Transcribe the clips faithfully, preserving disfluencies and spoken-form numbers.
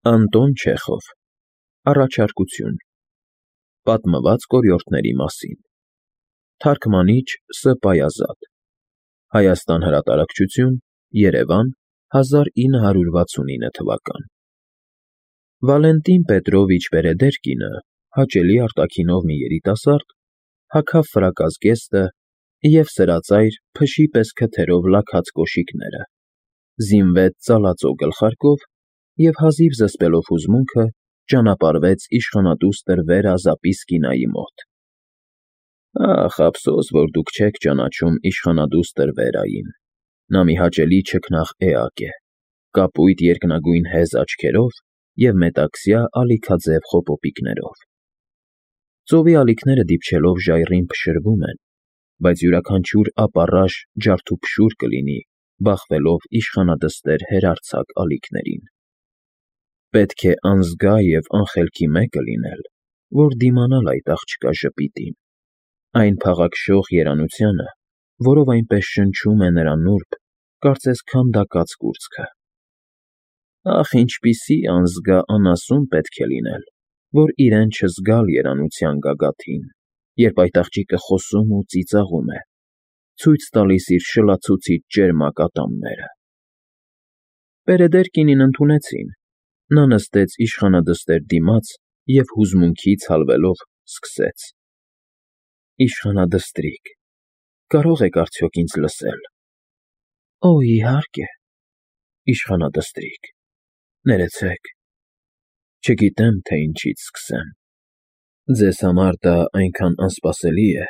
Անտոն Չեխով, Առաջարկություն, Պատմված կորյորդների մասին, Թարգմանիչ Ս. Պայազատ, Հայաստան Հրատարակչություն, Երևան, հազար ինը հարյուր վաթսունինը թվական։ Վալենտին Պետրովիչ Պերեդերկինը, հաճելի արտաքինով մի երիտասարդ, հագավ ֆրակազգեստը և սրածայր, փշի պես քթերով լաքած կոշիկները, զինվեց ծալածո գլխարկով և հազիվ զսպելով հուզմունքը, ճանապարհվեց իշխանադուստր Վերա Զապիսկինայի մոտ։ Ախ, ափսոս, որ դուք չեք ճանաչում իշխանադուստր Վերային, նա մի հաճելի չքնաղ էակ է, կապույտ երկնագույն հեզ աչքերով և մետաքսյա ալիքաձև խոպոպիկներով։ Ծովի ալիքները դիպչելով ժայռին փշրվում են, բայց յուրաքանչյուր ապառաշ ջարդուփշուր կլինի, բախվելով իշխանադստեր հերարձակ ալիքներին։ Պետք է անզգա և անխելքի մեկը լինել, որ դիմանալ այդ աղջկա ժպիտին, այն փաղաքշող երանությանը, որով այնպես շնչում է նրա նուրբ, կարծես քանդակած կուրծքը։ Ախ, ինչպիսի անզգա անասուն պետք է լինել, որ իրեն չզգալ երանության գագաթին, երբ այդ աղջիկը խոսում ու ծիծաղում է, ցույց տալիս իր շլացուցիչ ճերմակ ատամները։ Պերեդերկինին ընդունեցին, նա նստեց իշխանադստեր դիմաց և հուզմունքից հալվելով սկսեց. Իշխանադստրիկ, կարո՞ղ եք արդյոք ինձ լսել։ Օ, իհարկե, իշխանադստրիկ, ներեցեք, չգիտեմ, թե ինչից սկսեմ։ Ձեզ համար դա այնքան անսպասելի է,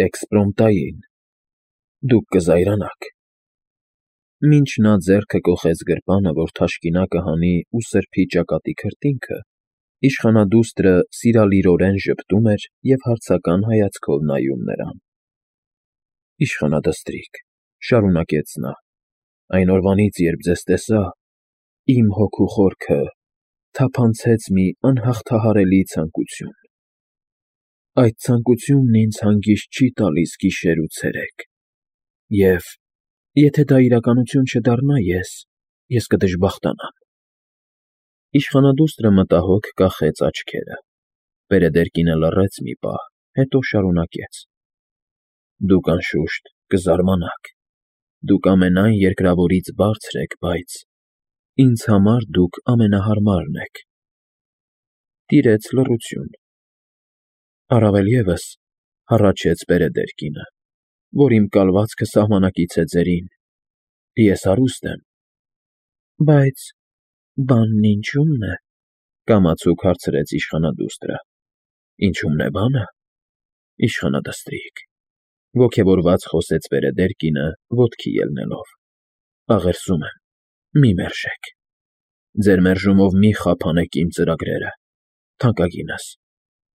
էքսպրոմտային, դուք կզայրանաք։ Մինչ նա ձեռքը կոխեց գրպանը, որ թաշկինակը հանի ու սրբի ճակատի քրտինքը, իշխանադուստրը սիրալիրորեն ժպտում էր և հարցական հայացքով նայում նրան։ Իշխանադստրիկ, շարունակեց նա, այն օրվանից, երբ ձեզ տեսա, իմ հոգու խորքը թափանցեց մի անհաղթահարելի ցանկություն։ Այդ ցանկությունն ինձ հանգիստ չի տալիս գիշեր ու ցերեկ, և, եթե դա իրականություն չդառնա, ես, ես կդժբախտանամ։ Իշխանադուստրը մտահոգ կախեց աչքերը, Պերեդերկինը լռեց մի պահ, հետո շարունակեց. Դուք, անշուշտ, կզարմանաք, դուք ամենայն երկրավորից բարձր եք, բայց ինձ համար դուք ամենահարմարն եք։ Տիրեց լռություն։ Առավել ևս, հառաչեց Պերեդերկինը, որ իմ կալվածքը սահմանակից է ձերին, ես հարուստ եմ։ Բայց բանն ինչո՞ւմն է, կամացուկ հարցրեց իշխանադուստրը։ Ինչո՞ւմն է բանը, իշխանադստրիկ, ոգևորված խոսեց Պերեդերկինը, ոտքի ելնելով։ Աղերսում եմ, մի մերժեք։ Ձեր մերժումով մի խափանեք իմ ծրագրերը, թանկագինս,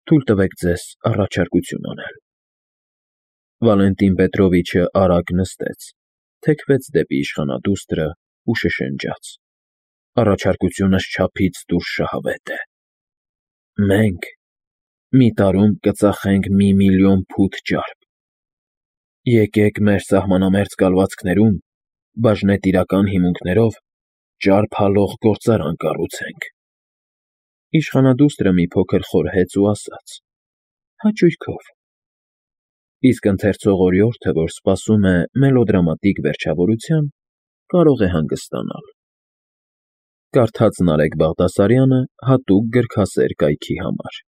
թույլ տվեք ձեզ առաջարկություն անել։ Վալենտին Պետրովիչը արագ նստեց, թեքվեց դեպի իշխանադուստրը ու շշնջաց. Առաջարկությունս չափից դուրս շահավետ է։ Մենք մի տարում կծախենք մի միլիոն փութ ճարպ։ Եկեք մեր սահմանամերձ կալվածքներում, բաժնետիրական հիմունքներով ճարպ հալող գործարան կառուցենք։ Իշխանադուստրը մի փոքր խորհեց ու ասաց. Հաճույքով։ Իսկ ընթերցող օրիորդը, որ սպասում է մելոդրամատիկ վերջավորության, կարող է հանգստանալ։ Կարդաց Նարեկ Բաղդասարյանը հատուկ գրքասեր կայքի համար։